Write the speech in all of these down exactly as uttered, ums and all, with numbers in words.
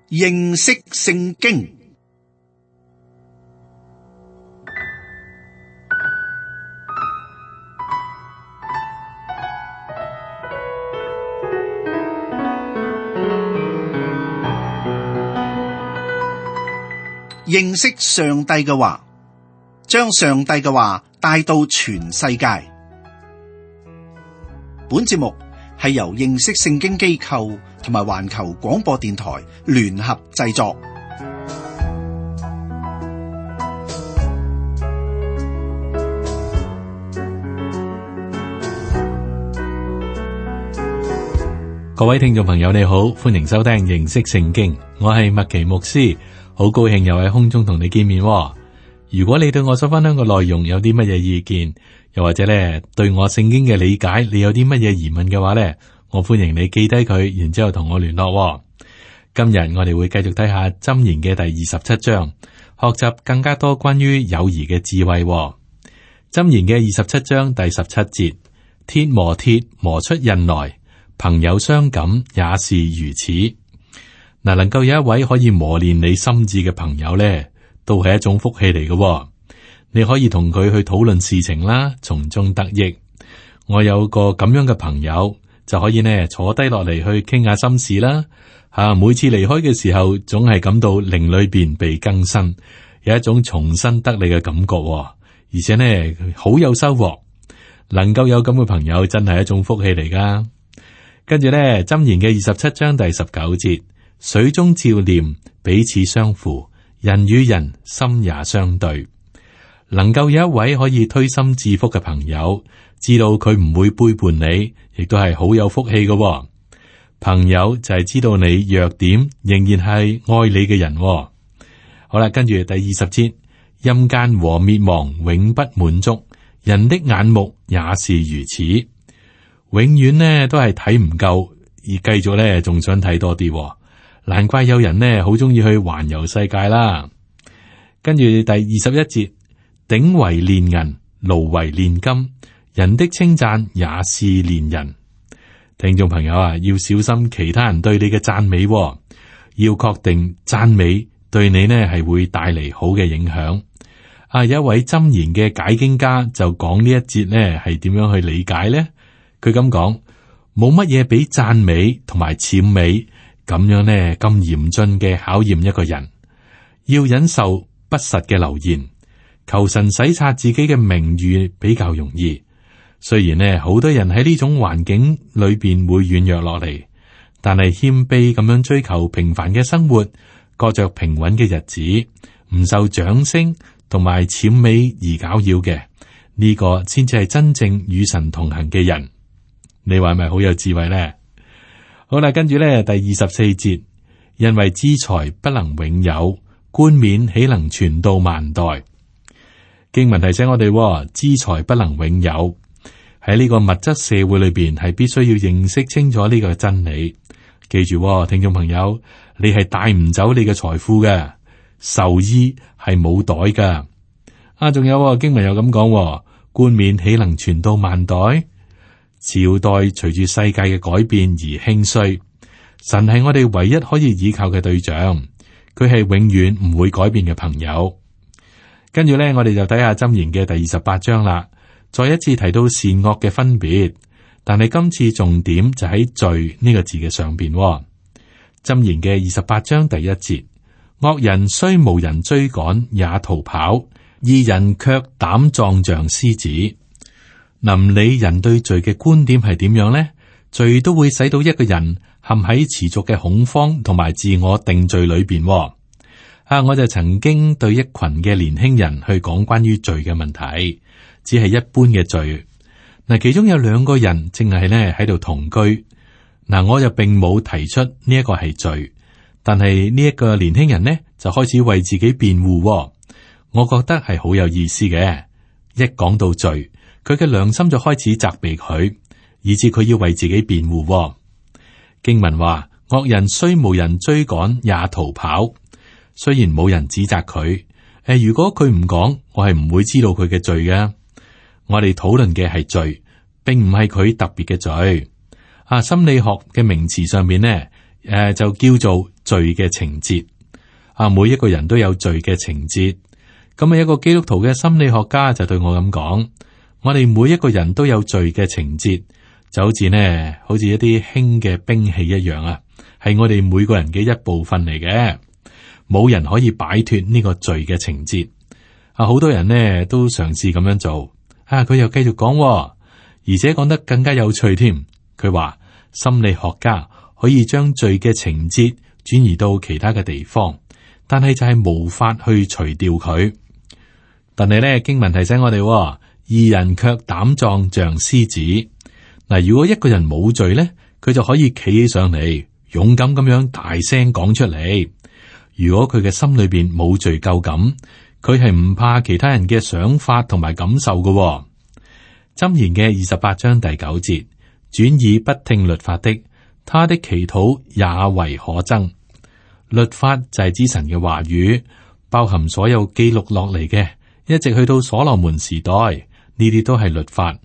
認識聖經。認識上帝嘅話，將上帝嘅話帶到全世界。本節目係由認識聖經機構同埋環球廣播電台聯合製作。各位聽眾朋友，你好，歡迎收聽認識聖經，我係麥奇牧師，好高興又喺空中同你見面。如果你對我所分享嘅內容有啲乜嘢意見，又或者咧對我聖經嘅理解，你有啲乜嘢疑問嘅話咧，我歡迎你記低佢，然之後同我聯絡。今日我哋會繼續睇下箴言嘅第二十七章，學習更加多關於友誼嘅智慧。箴言嘅二十七章第十七節：鐵磨鐵磨出刃來，朋友相感也是如此。嗱，能夠有一位可以磨練你心智嘅朋友咧，都係一種福氣嚟嘅。你可以同佢去討論事情啦，從中得益。我有個咁樣嘅朋友，就可以呢坐低落嚟去傾下心事啦。吓，每次離開嘅時候，總係感到靈裏邊被更新，有一種重新得力嘅感覺，而且呢好有收穫。能夠有咁嘅朋友，真係一種福氣嚟噶。跟住呢，箴言嘅二十七章第十九節：水中照念，彼此相扶，人與人心也相對。能夠有一位可以推心置腹嘅朋友，知道佢唔會背叛你，亦都係好有福氣嘅。朋友就係知道你弱點，仍然係愛你嘅人。好啦，跟住第二十節：陰間和滅亡永不滿足，人的眼目也是如此。永遠呢都係睇唔夠，而繼續呢仲想睇多啲。難怪有人呢好中意去環遊世界啦。跟住第二十一節：鼎為煉銀，爐為煉金，人的稱讚也是煉人。聽眾朋友啊，要小心其他人對你嘅讚美，要確定讚美對你呢係會帶嚟好嘅影響。啊，有一位箴言嘅解經家就講呢一節呢係點樣去理解呢？佢咁講：冇乜嘢比讚美同埋諂美咁樣呢咁嚴峻嘅考驗一個人，要忍受不實嘅流言。求神洗刷自己嘅名譽比較容易，雖然呢好多人喺呢種環境裏邊會軟弱落嚟，但係謙卑咁樣追求平凡嘅生活，過着平穩嘅日子，唔受掌聲同埋諂美而攪擾嘅，呢個先至係真正與神同行嘅人。你話係咪好有智慧呢？好啦，跟住呢第二十四節：因為資財不能永有，冠冕豈能傳到萬代？經文提醒我哋，資財不能永有。喺呢個物質社會裏邊，係必須要認識清楚呢個真理。記住，聽眾朋友，你係帶唔走你嘅財富嘅，壽衣係冇袋噶。啊，仲有經文又咁講，冠冕豈能傳到萬代？朝代隨住世界嘅改變而興衰，神係我哋唯一可以依靠嘅對象，佢係永遠唔會改變嘅朋友。跟住咧，我哋就睇下箴言嘅第二十八章啦。再一次提到善惡嘅分別，但係今次重點就喺罪呢個字嘅上邊。箴言嘅二十八章第一節：惡人雖無人追趕也逃跑，義人卻膽壯像獅子。臨理人對罪嘅觀點係點樣呢？罪都會使到一個人陷喺持續嘅恐慌同埋自我定罪裏邊。啊，我就曾經對一群嘅年輕人去講關於罪嘅問題，只係一般嘅罪。嗱，其中有兩個人正係咧喺度同居。嗱，我就並冇提出呢一個係罪，但係呢一個年輕人呢就開始為自己辯護。我覺得係好有意思嘅。一講到罪，佢嘅良心就開始責備佢，以致佢要為自己辯護。經文話：惡人雖無人追趕也逃跑。雖然冇人指責佢，誒，如果佢唔講，我係唔會知道佢嘅罪嘅。我哋討論嘅係罪，並唔係佢特別嘅罪。啊，心理學嘅名詞上面呢，誒、呃、就叫做罪嘅情節。啊，每一個人都有罪嘅情節。咁啊，一個基督徒嘅心理學家就對我咁講：我哋每一個人都有罪嘅情節，就好似呢，好似一啲輕嘅兵器一樣啊，係我哋每個人嘅一部分嚟嘅。冇人可以擺脫呢個罪嘅情節。啊，好多人呢都嘗試咁樣做。啊，佢又繼續講，而且講得更加有趣添。佢話心理學家可以將罪嘅情節轉移到其他嘅地方，但係就係無法去除掉佢。但係咧，經文提醒我哋，義人卻膽壯像獅子。嗱，如果一個人冇罪咧，佢就可以企起上嚟，勇敢咁樣大聲講出嚟。如果佢嘅心裏邊冇罪疚感，佢係唔怕其他人嘅想法同埋感受嘅。箴言嘅二十八章第九節，轉耳不聽律法的，他的祈禱也為可憎。律法就係指神嘅話語，包含所有記錄落嚟嘅，一直去到所羅門時代，呢啲都係律法，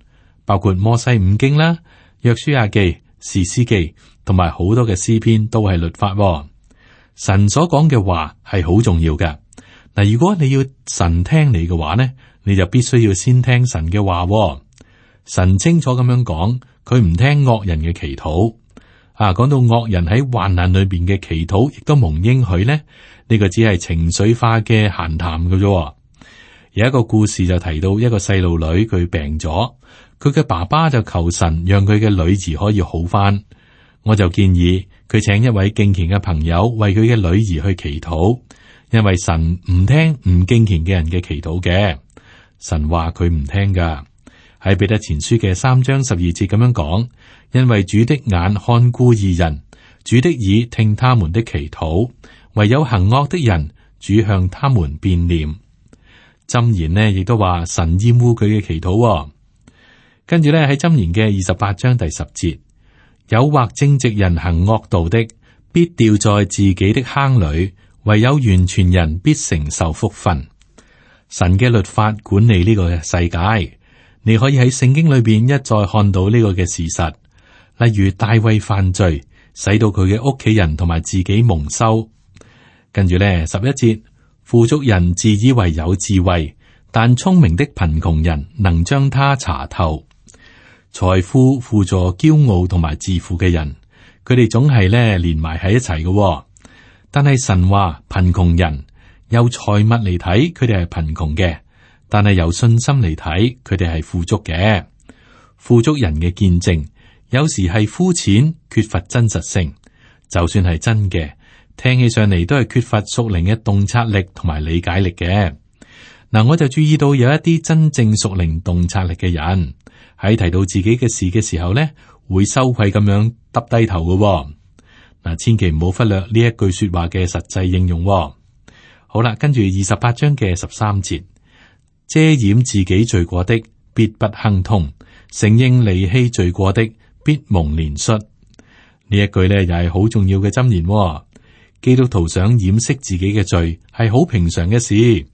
包括摩西五經啦、約書亞記、士師記，同埋好多嘅詩篇都係律法。神所講嘅話係好重要嘅。嗱，如果你要神聽你嘅話呢，你就必須要先聽神嘅話。神清楚咁樣講，佢唔聽惡人嘅祈禱。啊，講到惡人喺患難裏邊嘅祈禱，亦都蒙應許呢，呢個只係情緒化嘅閒談嘅啫。有一個故事就提到一個細路女，佢病咗，佢嘅爸爸就求神讓佢嘅女兒可以好返。我就建議佢請一位敬虔嘅朋友為佢嘅女兒去祈禱，因為神唔聽唔敬虔嘅人嘅祈禱嘅。神話佢唔聽噶，喺彼得前書嘅三章十二節咁樣講，因為主的眼看顧義人，主的耳聽他們的祈禱，唯有行惡的人，主向他們變臉。箴言呢亦都話神厭惡佢嘅祈禱。跟住咧喺箴言嘅二十八章第十節，誘惑正直人行惡道的，必掉在自己的坑裏，唯有完全人必承受福分。神嘅律法管理呢個世界，你可以喺聖經裏邊一再看到呢個嘅事實。例如大衛犯罪，使到佢嘅屋企人同埋自己蒙羞。跟住咧十一節，富足人自以為有智慧，但聰明的貧窮人能將他查透。財富輔助驕傲同埋自負嘅人，佢哋總係咧連埋喺一齊嘅。但係神話貧窮人由財物嚟睇，佢哋係貧窮嘅；但係由信心嚟睇，佢哋係富足嘅。富足人嘅見證有時係膚淺，缺乏真實性。就算係真嘅，聽起上嚟都係缺乏屬靈嘅洞察力同埋理解力嘅。嗱，我就注意到有一啲真正屬靈洞察力嘅人喺提到自己嘅事嘅時候咧，會羞愧咁樣耷低頭嘅。嗱，千祈唔好忽略呢一句說話嘅實際應用。好啦，跟住二十八章嘅十三節，遮掩自己罪過的必不亨通，承認離棄罪過的必蒙憐恤。呢一句咧又係好重要嘅箴言。基督徒想掩飾自己嘅罪係好平常嘅事。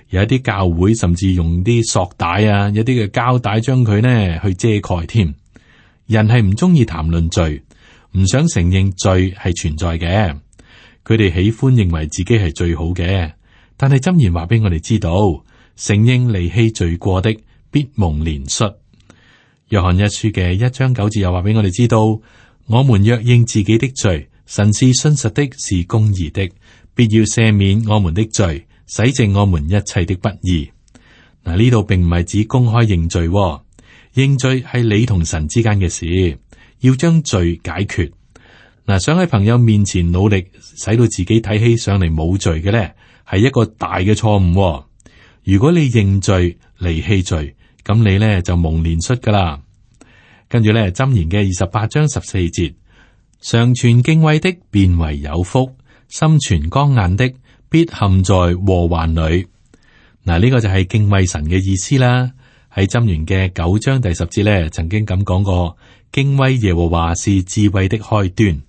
有一啲教會甚至用啲索帶啊，有啲嘅膠帶將佢呢去遮蓋添。人係唔中意談論罪，唔想承認罪係存在嘅。佢哋喜歡認為自己係最好嘅，但係箴言話俾我哋知道，承認離棄罪過的必蒙憐恤。約翰一書嘅一章九節又話俾我哋知道，我們若認自己的罪，神是信實的，是公義的，必要赦免我們的罪，洗淨我們一切的不義。嗱，呢度並唔係指公開認罪，認罪係你同神之間嘅事，要將罪解決。嗱，想喺朋友面前努力使到自己睇起上嚟冇罪嘅咧，係一個大嘅錯誤。如果你認罪離棄罪，咁你咧就蒙憐恤噶啦。跟住咧，箴言嘅二十八章十四節，常存敬畏的便為有福，心存剛硬的必陷在禍患裏。嗱，呢個就係敬畏神嘅意思啦。喺箴言嘅九章第十節咧，曾經咁講過，敬畏耶和華是智慧的開端。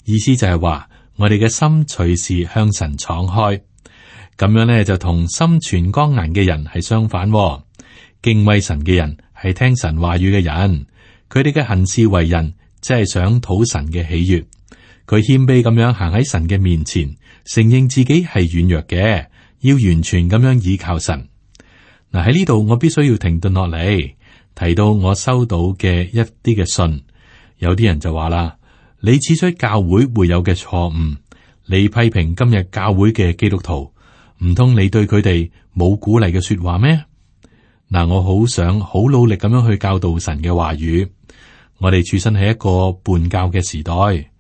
意思就係話，我哋嘅心隨時向神敞開，咁樣咧就同心存剛硬嘅人係相反。敬畏神嘅人係聽神話語嘅人，佢哋嘅行事為人即係想討神嘅喜悅，佢謙卑咁樣行喺神嘅面前，承認自己係軟弱嘅，要完全咁樣倚靠神。嗱，喺呢度我必須要停頓落嚟，提到我收到嘅一啲嘅信，有啲人就話啦：你指出教會會有嘅錯誤，你批評今日教會嘅基督徒，唔通你對佢哋冇鼓勵嘅說話咩？嗱，我好想好努力咁樣去教導神嘅話語。我哋處身喺一個叛教嘅時代，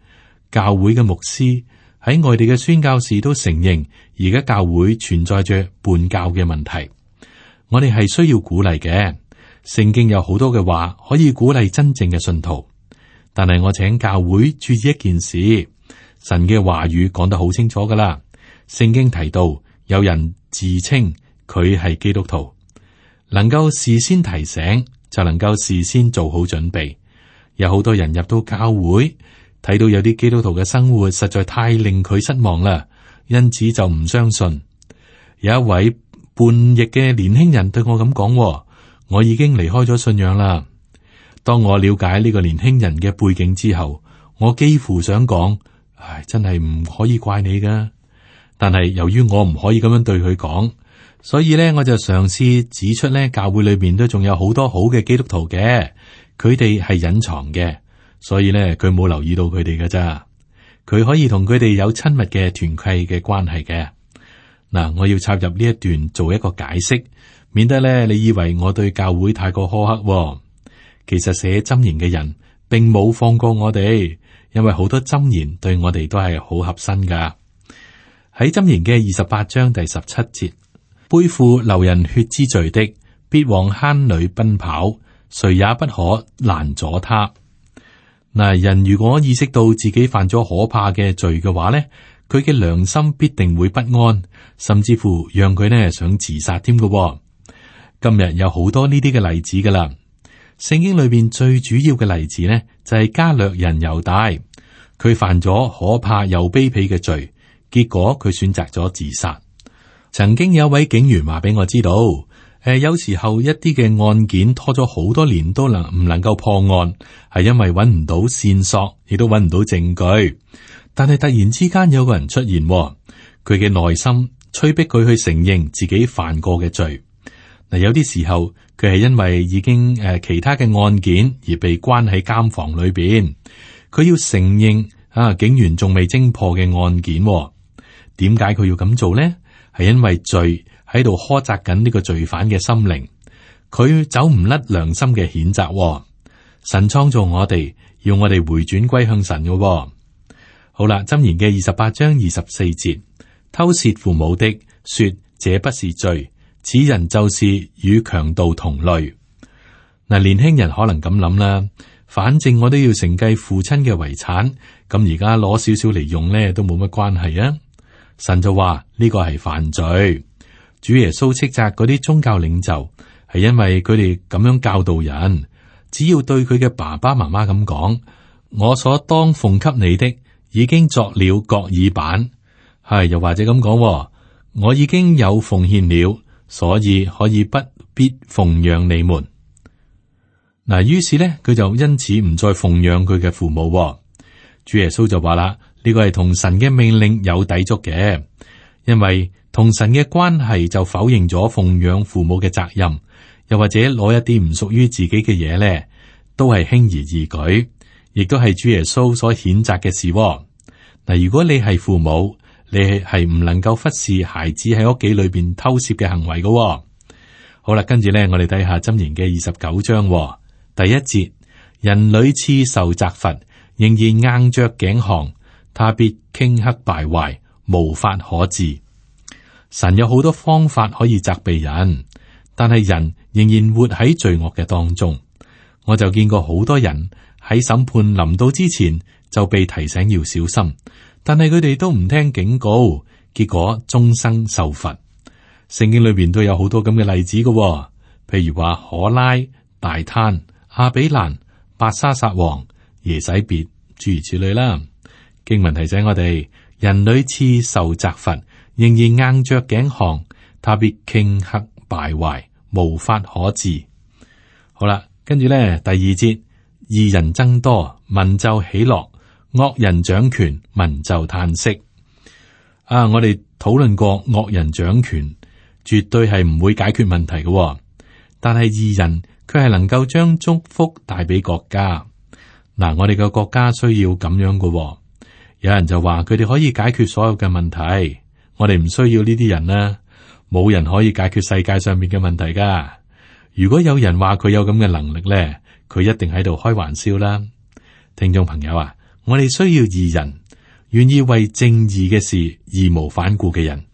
教會嘅牧師喺外地嘅宣教士都承認，而家教會存在着叛教嘅問題。我哋係需要鼓勵嘅，聖經有好多嘅話可以鼓勵真正嘅信徒。但係我請教會注意一件事，神嘅話語講得好清楚噶啦。聖經提到有人自稱佢係基督徒，能夠事先提醒，就能夠事先做好準備。有好多人入到教會，睇到有啲基督徒嘅生活實在太令佢失望啦，因此就唔相信。有一位叛逆嘅年輕人對我咁講：我已經離開咗信仰啦。當我了解呢個年輕人嘅背景之後，我幾乎想講：唉，真係唔可以怪你噶。但係由於我唔可以咁樣對佢講，所以咧我就嘗試指出咧，教會裏邊都仲有好多好嘅基督徒嘅，佢哋係隱藏嘅，所以咧佢冇留意到佢哋㗎咋。佢可以同佢哋有親密嘅團契嘅關係嘅。嗱，我要插入呢一段做一個解釋，免得咧你以為我對教會太過苛刻喎。其實寫箴言嘅人並冇放過我哋，因為好多箴言對我哋都係好合身噶。喺箴言嘅二十八章第十七節，背負流人血之罪的，必往坑裏奔跑，誰也不可攔阻他。嗱，人如果意識到自己犯咗可怕嘅罪嘅話咧，佢嘅良心必定會不安，甚至乎讓佢呢想自殺添嘅。今日有好多呢啲嘅例子噶啦。聖經裏邊最主要嘅例子呢，就係加略人猶大，佢犯咗可怕又卑鄙嘅罪，結果佢選擇咗自殺。曾經有一位警員話俾我知道，誒、呃，有時候一啲嘅案件拖咗好多年都能唔能夠破案，係因為揾唔到線索，亦都揾唔到證據。但係突然之間有個人出現，佢嘅內心催逼佢去承認自己犯過嘅罪。嗱，有啲時候佢係因為已經誒、呃、其他嘅案件而被關喺監房裏邊，佢要承認啊，警員仲未偵破嘅案件。點解佢要咁做呢？係因為罪喺度苛責緊呢個罪犯嘅心靈，佢走唔甩良心嘅譴責。神創造我哋，要我哋回轉歸向神嘅。好啦，箴言嘅二十八章二十四節，偷竊父母的說這不是罪，此人就是與強盜同類。嗱，年輕人可能咁諗啦，反正我都要承繼父親嘅遺產，咁而家攞少少嚟用咧都冇乜關係啊。神就話呢個係犯罪。主耶穌斥責嗰啲宗教領袖，係因為佢哋咁樣教導人，只要對佢嘅爸爸媽媽咁講，我所當奉給你的已經作了各耳板，係又或者咁講，我已經有奉獻了，所以可以不必奉養你們。嗱，於是咧佢就因此唔再奉養佢嘅父母。主耶穌就話啦，呢個係同神嘅命令有抵觸嘅，因為同神嘅關係就否認咗奉養父母嘅責任，又或者攞一啲唔屬於自己嘅嘢咧，都係輕而易舉。亦都係主耶穌所譴責嘅事。嗱，如果你係父母，你係唔能夠忽視孩子喺屋企裏邊偷竊嘅行為嘅。好啦，跟住咧，我哋睇下箴言嘅二十九章第一節：人屢次受責罰，仍然硬着頸項，他必頃刻敗壞，無法可治。神有好多方法可以責備人，但係人仍然活喺罪惡嘅當中。我就見過好多人喺審判臨到之前就被提醒要小心，但係佢哋都唔聽警告，結果終生受罰。聖經裏邊都有好多咁嘅例子嘅，譬如話可拉、大坍、亞比蘭、伯沙撒王、耶洗別，諸如此類啦。經文提醒我哋，人屢次受責罰，仍然硬着頸項，他必頃刻敗壞，無法可治。好啦，跟住咧第二節。義人增多，民就喜樂，惡人掌權，民就嘆息。啊，我哋討論過惡人掌權，絕對係唔會解決問題嘅。但係義人佢係能夠將祝福帶俾國家。嗱，我哋嘅國家需要咁樣嘅。有人就話佢哋可以解決所有嘅問題，我哋唔需要呢啲人啦。冇人可以解決世界上面嘅問題噶。如果有人話佢有咁嘅能力咧，佢一定喺度開玩笑啦。聽眾朋友啊，我哋需要義人，願意為正義嘅事義無反顧嘅人。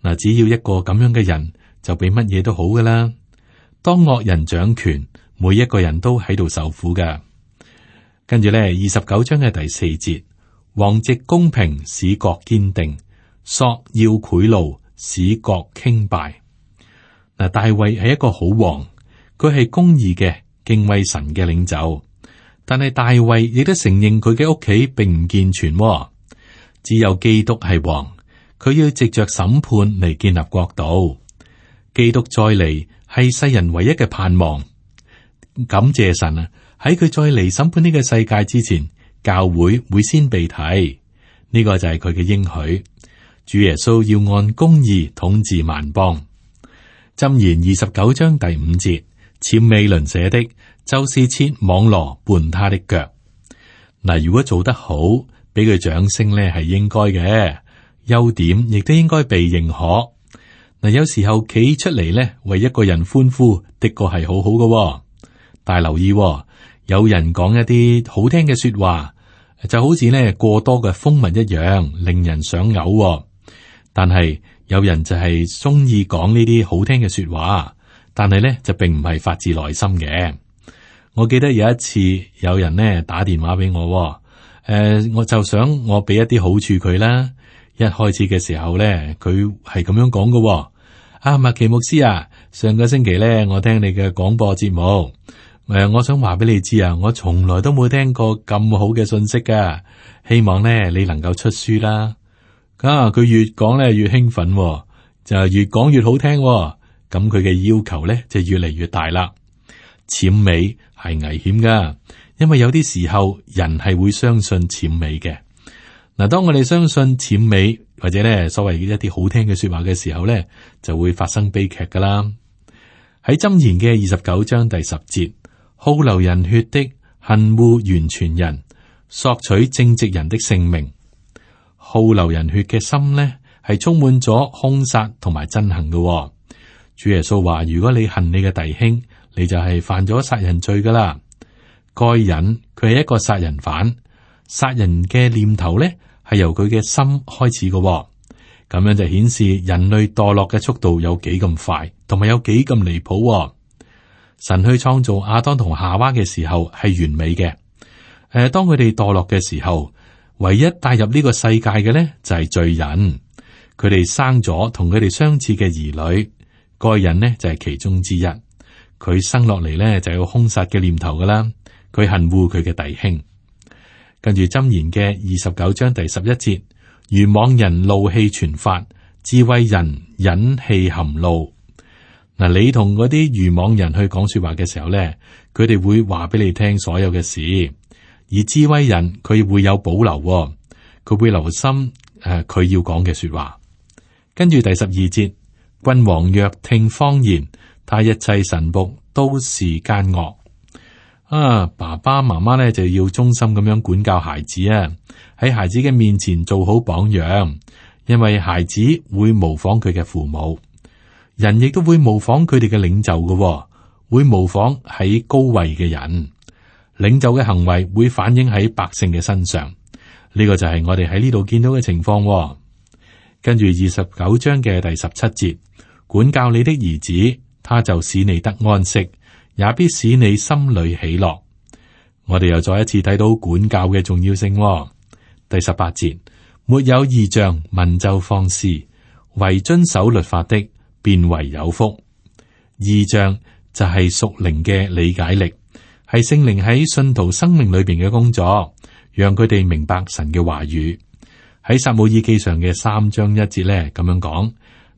嗱，只要一個咁樣嘅人，就比乜嘢都好噶啦。當惡人掌權，每一個人都喺度受苦噶。跟住咧，二十九章嘅第四節，王藉公平使國堅定，索要賄賂使國傾敗。嗱，大衛係一個好王，佢係公義嘅、敬畏神嘅領袖。但係大衛亦都承認佢嘅屋企並唔健全，只有基督係王，佢要藉着審判嚟建立國度。基督再嚟係世人唯一嘅盼望。感謝神啊！喺佢再嚟審判呢個世界之前，教會會先被提，呢個就係佢嘅應許。主耶穌要按公義統治萬邦。箴言二十九章第五節，諂媚鄰舍的，就是設網羅絆他的腳。嗱，如果做得好，俾佢掌聲呢係應該嘅，優點亦都應該被認可。嗱，有時候企出嚟呢，為一個人歡呼，的確係好好嘅。但係留意，有人講一啲好聽嘅說話，就好似呢過多嘅蜂蜜一樣，令人想嘔。但係有人就係中意講呢啲好聽嘅說話，但係呢就並唔係發自內心嘅。我記得有一次有人呢打電話俾我，誒、呃，我就想我俾一啲好處佢啦。一開始嘅時候呢，佢係咁樣講嘅。啊，麥奇牧師啊，上個星期呢，我聽你嘅廣播節目，誒、呃，我想話俾你知啊，我從來都冇聽過咁好嘅信息噶。希望呢，你能夠出書啦。啊，佢越講咧越興奮，就越講越好聽。咁佢嘅要求咧就越嚟越大啦。諂媚係危險噶，因為有啲時候人係會相信諂媚嘅。嗱，當我哋相信諂媚或者咧所謂一啲好聽嘅說話嘅時候咧，就會發生悲劇噶啦。喺箴言嘅二十九章第十節，好流人血的，恨惡完全人，索取正直人的性命。好流人血嘅心呢，係充滿咗兇殺同埋憎恨嘅。主耶穌話：如果你恨你嘅弟兄，你就係犯咗殺人罪噶啦。該隱佢係一個殺人犯，殺人嘅念頭呢係由佢嘅心開始嘅。咁樣就顯示人類墮落嘅速度有幾咁快，同埋有幾咁離譜。神去創造亞當同夏娃嘅時候係完美嘅。誒，當佢哋墮落嘅時候，唯一帶入呢個世界嘅呢，就係罪人。佢哋生咗同佢哋相似嘅兒女，該隱呢就係其中之一。佢生落嚟呢就有兇殺嘅念頭噶啦，佢恨惡佢嘅弟兄。跟住箴言嘅二十九章第十一節，愚妄人怒氣全發，智慧人忍氣含怒。嗱，你同嗰啲愚妄人去講說話嘅時候呢，佢哋會話俾你聽所有嘅事。而智慧人佢會有保留，佢會留心誒佢要講嘅說話。跟住第十二節，君王若聽謊言，他一切臣僕都是奸惡。啊，爸爸媽媽咧就要忠心咁樣管教孩子啊，喺孩子嘅面前做好榜樣，因為孩子會模仿佢嘅父母，人亦都會模仿佢哋嘅領袖嘅，會模仿喺高位嘅人。領袖嘅行為會反映喺百姓嘅身上，呢個就係我哋喺呢度見到嘅情況。跟住二十九章嘅第十七節，管教你的兒子，他就使你得安息，也必使你心裏喜樂。我哋又再一次睇到管教嘅重要性。第十八節，沒有異象，民就放肆，為遵守律法的，便為有福。異象就係屬靈嘅理解力。係聖靈喺信徒生命裏邊嘅工作，讓佢哋明白神嘅話語。喺撒母耳記上嘅三章一節咧，咁樣講：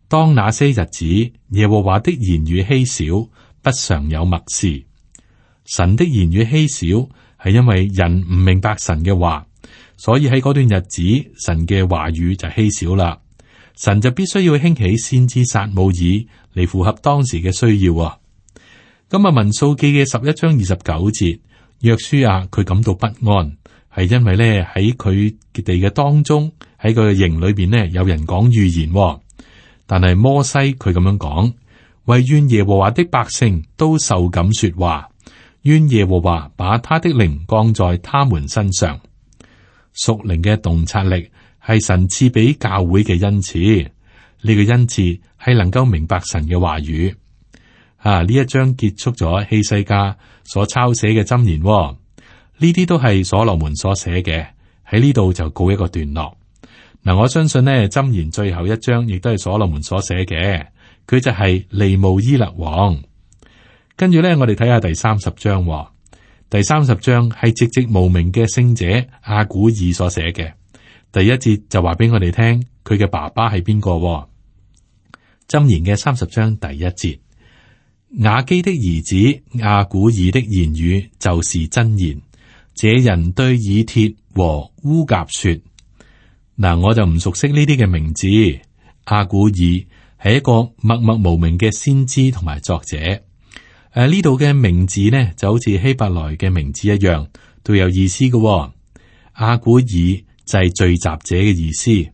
當那些日子，耶和華的言語稀少，不常有默示。神的言語稀少，係因為人唔明白神嘅話，所以喺嗰段日子，神嘅話語就稀少啦。神就必須要興起先知撒母耳嚟符合當時嘅需要啊。咁啊，民數記嘅十一章二十九節，約書亞佢感到不安，係因為咧喺佢哋嘅當中，喺佢嘅營裏邊呢，有人講預言，但係摩西佢咁樣講，惟願耶和華的百姓都受感說話，願耶和華把他的靈降在他們身上。屬靈嘅洞察力係神賜俾教會嘅恩賜，呢、這個恩賜係能夠明白神嘅話語。啊，呢一章結束咗希西家所抄寫嘅箴言，呢啲都係所羅門所寫嘅，喺呢度就告一個段落。嗱，我相信呢箴言最後一章亦都係所羅門所寫嘅，佢就係利慕伊勒王。跟住咧，我哋睇下第三十章。第三十章係寂寂無名嘅聖者阿古爾所寫嘅。第一節就話俾我哋聽，佢嘅爸爸係邊個？箴言嘅三十章第一節，雅基的兒子阿古爾的言語就是真言。這人對以鐵和烏甲說：嗱，我就唔熟悉呢啲嘅名字。阿古爾係一個默默無名嘅先知同埋作者。誒，呢度嘅名字呢，就好似希伯來嘅名字一樣，都有意思嘅、哦。阿古爾就係聚集者嘅意思，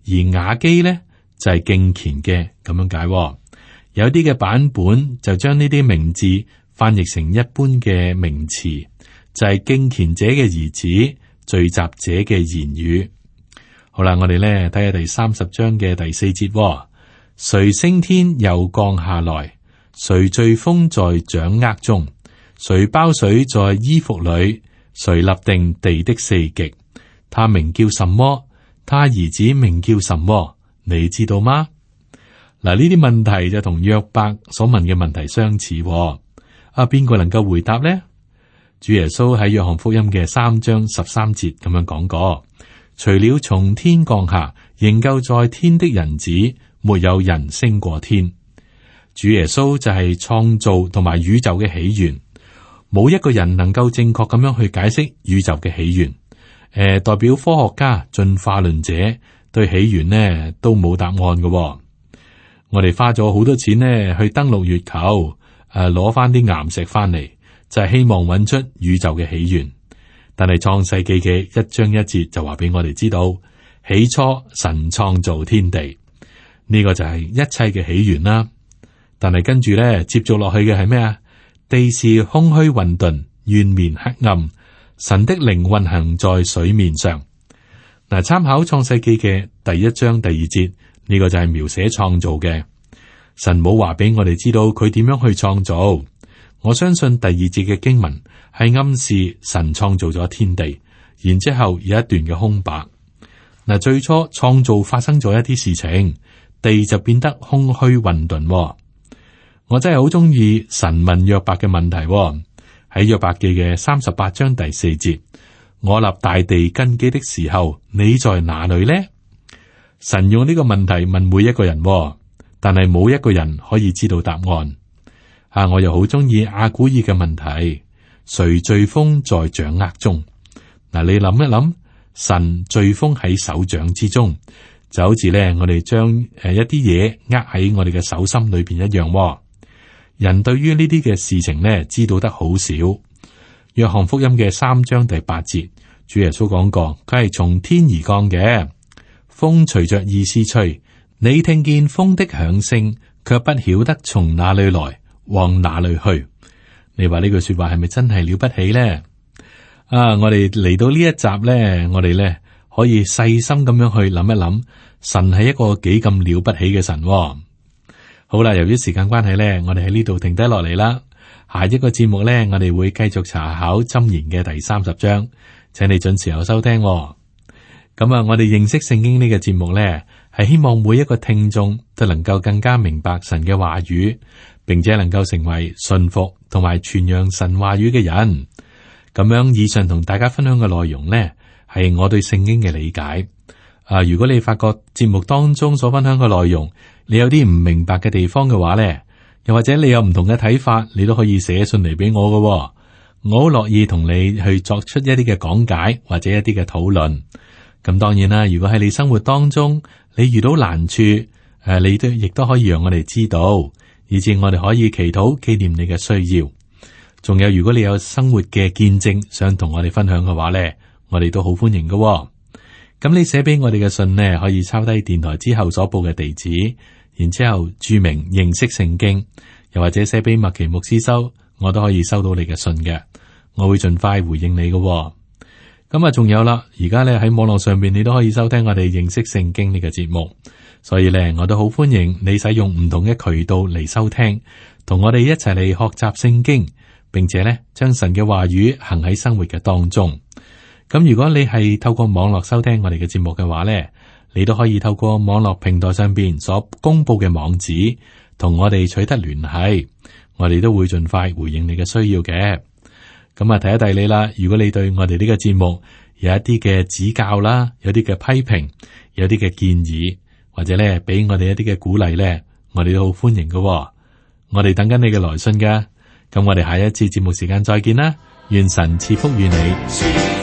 而雅基呢就係、是、敬虔嘅咁樣解、哦。有啲嘅版本就將呢啲名字翻譯成一般嘅名詞，就係、是、敬虔者嘅兒子，聚集者嘅言語。好啦，我哋咧睇下第三十章嘅第四節、哦，誰升天又降下來？誰聚風在掌握中？誰包水在衣服裏？誰立定地的四極？他名叫什麼？他兒子名叫什麼？你知道嗎？嗱，呢啲問題就同約伯所問嘅問題相似、哦。啊，邊個能夠回答呢？主耶穌喺約翰福音嘅三章十三節咁樣講過：除了從天降下仍舊在天的人子，沒有人升過天。主耶穌就係創造同埋宇宙嘅起源，冇一個人能夠正確咁樣去解釋宇宙嘅起源。誒、呃，代表科學家、進化論者對起源呢都冇答案嘅、哦。我哋花咗好多錢呢去登陸月球，誒、呃，攞翻啲岩石翻嚟，就係、是、希望揾出宇宙嘅起源。但係創世記嘅一章一節就話俾我哋知道，起初神創造天地，呢、這個就係一切嘅起源啦。但係跟住咧，接續落去嘅係咩啊？地是空虛混沌，淵面黑暗，神的靈運行在水面上。嗱，參考創世記嘅第一章第二節，呢個就係描寫創造嘅。神冇話俾我哋知道佢點樣去創造。我相信第二節嘅經文係暗示神創造咗天地，然之後有一段嘅空白。嗱，最初創造發生咗一啲事情，地就變得空虛混沌。我真係好中意神問約伯嘅問題喎、哦，喺約伯記嘅三十八章第四節，我立大地根基的時候，你在哪裏呢？神用呢個問題問每一個人、哦，但係冇一個人可以知道答案。啊，我又好中意阿古爾嘅問題，誰聚風在掌握中？嗱、啊，你諗一諗，神聚風喺手掌之中，就好似咧我哋將誒一啲嘢握喺我哋嘅手心裏邊一樣、哦。人對於呢啲嘅事情呢，知道得好少。約翰福音嘅三章第八節，主耶穌講過，佢係從天而降嘅，風隨着意思吹，你聽見風的響聲，卻不曉得從哪裏來，往哪裏去。你話呢句說話係咪真係了不起呢？啊，我哋嚟到呢一集呢，我哋呢可以細心咁樣去諗一諗，神係一個幾咁了不起嘅神、哦。好啦，由於時間關係咧，我哋喺呢度停低落嚟啦。下一個節目咧，我哋會繼續查考箴言嘅第三十章，請你準時候收聽、哦。咁啊，我哋認識聖經呢個節目咧，係希望每一個聽眾都能夠更加明白神嘅話語，並且能夠成為信服同埋傳揚神話語嘅人。咁樣，以上同大家分享嘅內容咧，係我對聖經嘅理解。啊，如果你發覺節目當中所分享嘅內容，你有啲唔明白嘅地方嘅話咧，又或者你有唔同嘅睇法，你都可以寫信嚟俾我㗎喎。我好樂意同你去作出一啲嘅講解或者一啲嘅討論。咁當然啦，如果喺你生活當中你遇到難處，誒，你都亦都可以讓我哋知道，以至我哋可以祈禱紀念你嘅需要。仲有，如果你有生活嘅見證想同我哋分享嘅話咧，我哋都好歡迎嘅喎。咁你寫俾我哋嘅信呢，可以抄低電台之後所報嘅地址，然之後注明認識聖經，又或者寫俾麥奇牧師收，我都可以收到你嘅信嘅，我會盡快回應你嘅喎。咁啊，仲有啦，而家咧喺網絡上邊，你都可以收聽我哋認識聖經呢個節目，所以咧我都好歡迎你使用唔同嘅渠道嚟收聽，同我哋一齊嚟學習聖經，並且咧將神嘅話語行喺生活嘅當中。咁如果你係透過網絡收聽我哋嘅節目嘅話咧，你都可以透過網絡平台上邊所公布嘅網址，同我哋取得聯繫，我哋都會盡快回應你嘅需要嘅。咁啊，提一提你啦，如果你對我哋呢個節目有一啲嘅指教啦，有啲嘅批評，有啲嘅建議，或者咧俾我哋一啲嘅鼓勵咧，我哋都好歡迎嘅。我哋等緊你嘅來信噶。咁我哋下一次節目時間再見啦，願神賜福於你。